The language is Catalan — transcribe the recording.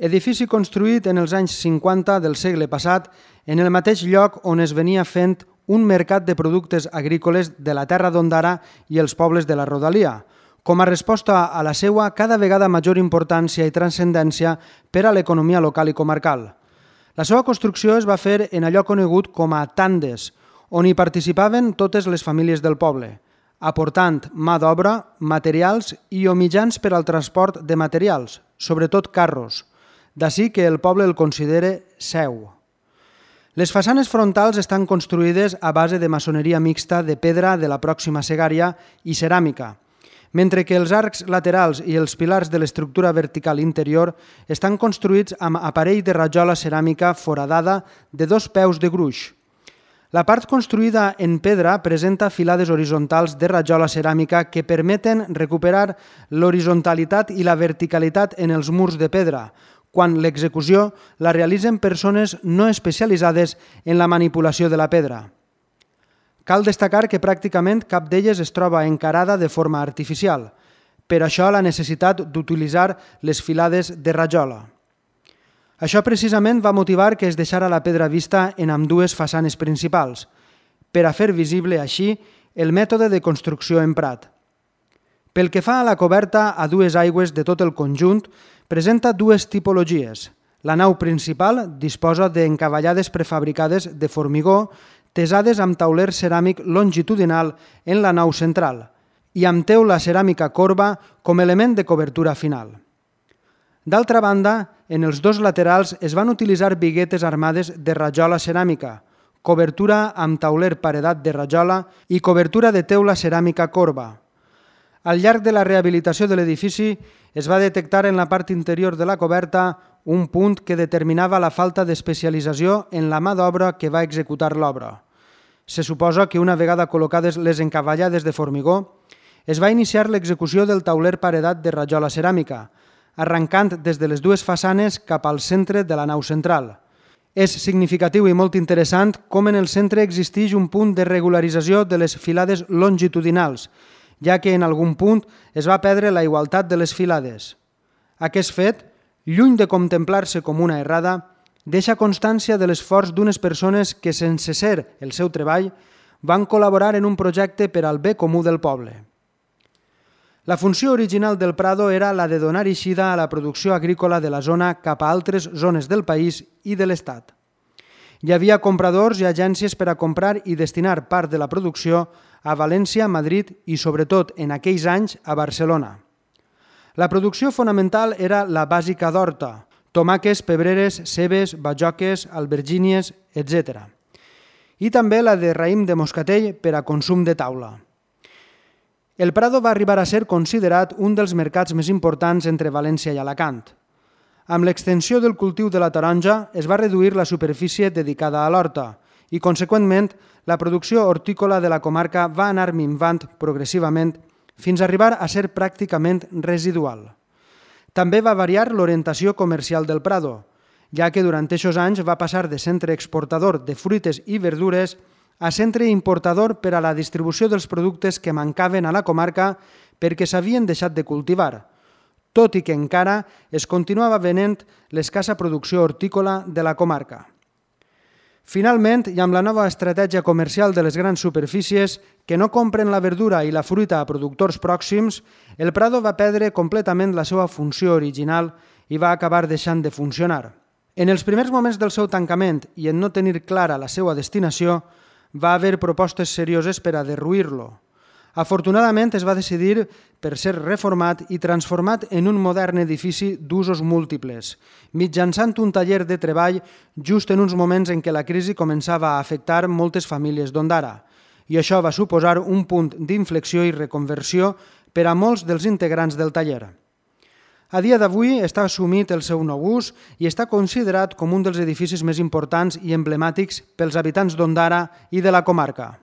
Edifici construït en els anys 50 del segle passat en el mateix lloc on es venia fent un mercat de productes agrícoles de la terra d'Ondara i els pobles de la rodalia, com a resposta a la seva cada vegada major importància i transcendència per a l'economia local i comarcal. La seva construcció es va fer en allò conegut com a tandes, on hi participaven totes les famílies del poble, aportant mà d'obra, materials i o mitjans per al transport de materials, sobretot carros. D'ací que el poble el considera seu. Les façanes frontals estan construïdes a base de maçoneria mixta de pedra de la pròxima Segària i ceràmica, mentre que els arcs laterals i els pilars de l'estructura vertical interior estan construïts amb aparell de rajola ceràmica foradada de 2 peus de gruix. La part construïda en pedra presenta filades horitzontals de rajola ceràmica que permeten recuperar l'horitzontalitat i la verticalitat en els murs de pedra, quan l'execució la realitzen persones no especialitzades en la manipulació de la pedra. Cal destacar que pràcticament cap d'elles es troba encarada de forma artificial, per això la necessitat d'utilitzar les filades de rajola. Això precisament va motivar que es deixara la pedra vista en ambdues façanes principals, per a fer visible així el mètode de construcció emprat. Pel que fa a la coberta a 2 aigües de tot el conjunt, presenta 2 tipologies. La nau principal disposa d'encavallades prefabricades de formigó tesades amb tauler ceràmic longitudinal en la nau central i amb teula ceràmica corba com element de cobertura final. D'altra banda, en els 2 laterals es van utilitzar biguetes armades de rajola ceràmica, cobertura amb tauler paredat de rajola i cobertura de teula ceràmica corba. Al llarg de la rehabilitació de l'edifici es va detectar en la part interior de la coberta un punt que determinava la falta d'especialització en la mà d'obra que va executar l'obra. Se suposa que una vegada col·locades les encavallades de formigó, es va iniciar l'execució del tauler paredat de rajola ceràmica, arrencant des de les 2 façanes cap al centre de la nau central. És significatiu i molt interessant com en el centre existeix un punt de regularització de les filades longitudinals, ja que en algun punt es va perdre la igualtat de les filades. Aquest fet, lluny de contemplar-se com una errada, deixa constància de l'esforç d'unes persones que, sense ser el seu treball, van col·laborar en un projecte per al bé comú del poble. La funció original del Prado era la de donar eixida a la producció agrícola de la zona cap a altres zones del país i de l'Estat. Hi havia compradors i agències per a comprar i destinar part de la producció a València, Madrid i, sobretot, en aquells anys, a Barcelona. La producció fonamental era la bàsica d'horta, tomàquets, pebreres, cebes, bajoques, albergínies, etc. I també la de raïm de moscatell per a consum de taula. El Prado va arribar a ser considerat un dels mercats més importants entre València i Alacant. Amb l'extensió del cultiu de la taronja es va reduir la superfície dedicada a l'horta i, conseqüentment, la producció hortícola de la comarca va anar minvant progressivament fins a arribar a ser pràcticament residual. També va variar l'orientació comercial del Prado, ja que durant aquests anys va passar de centre exportador de fruites i verdures a centre importador per a la distribució dels productes que mancaven a la comarca perquè s'havien deixat de cultivar, tot i que encara es continuava venent l'escassa producció hortícola de la comarca. Finalment, i amb la nova estratègia comercial de les grans superfícies que no compren la verdura i la fruita a productors pròxims, el Prado va perdre completament la seva funció original i va acabar deixant de funcionar. En els primers moments del seu tancament i en no tenir clara la seva destinació, va haver propostes serioses per a derruir-lo. Afortunadament es va decidir per ser reformat i transformat en un modern edifici d'usos múltiples, mitjançant un taller de treball just en uns moments en què la crisi començava a afectar moltes famílies d'Ondara, i això va suposar un punt d'inflexió i reconversió per a molts dels integrants del taller. A dia d'avui està assumit el seu nou ús i està considerat com un dels edificis més importants i emblemàtics pels habitants d'Ondara i de la comarca.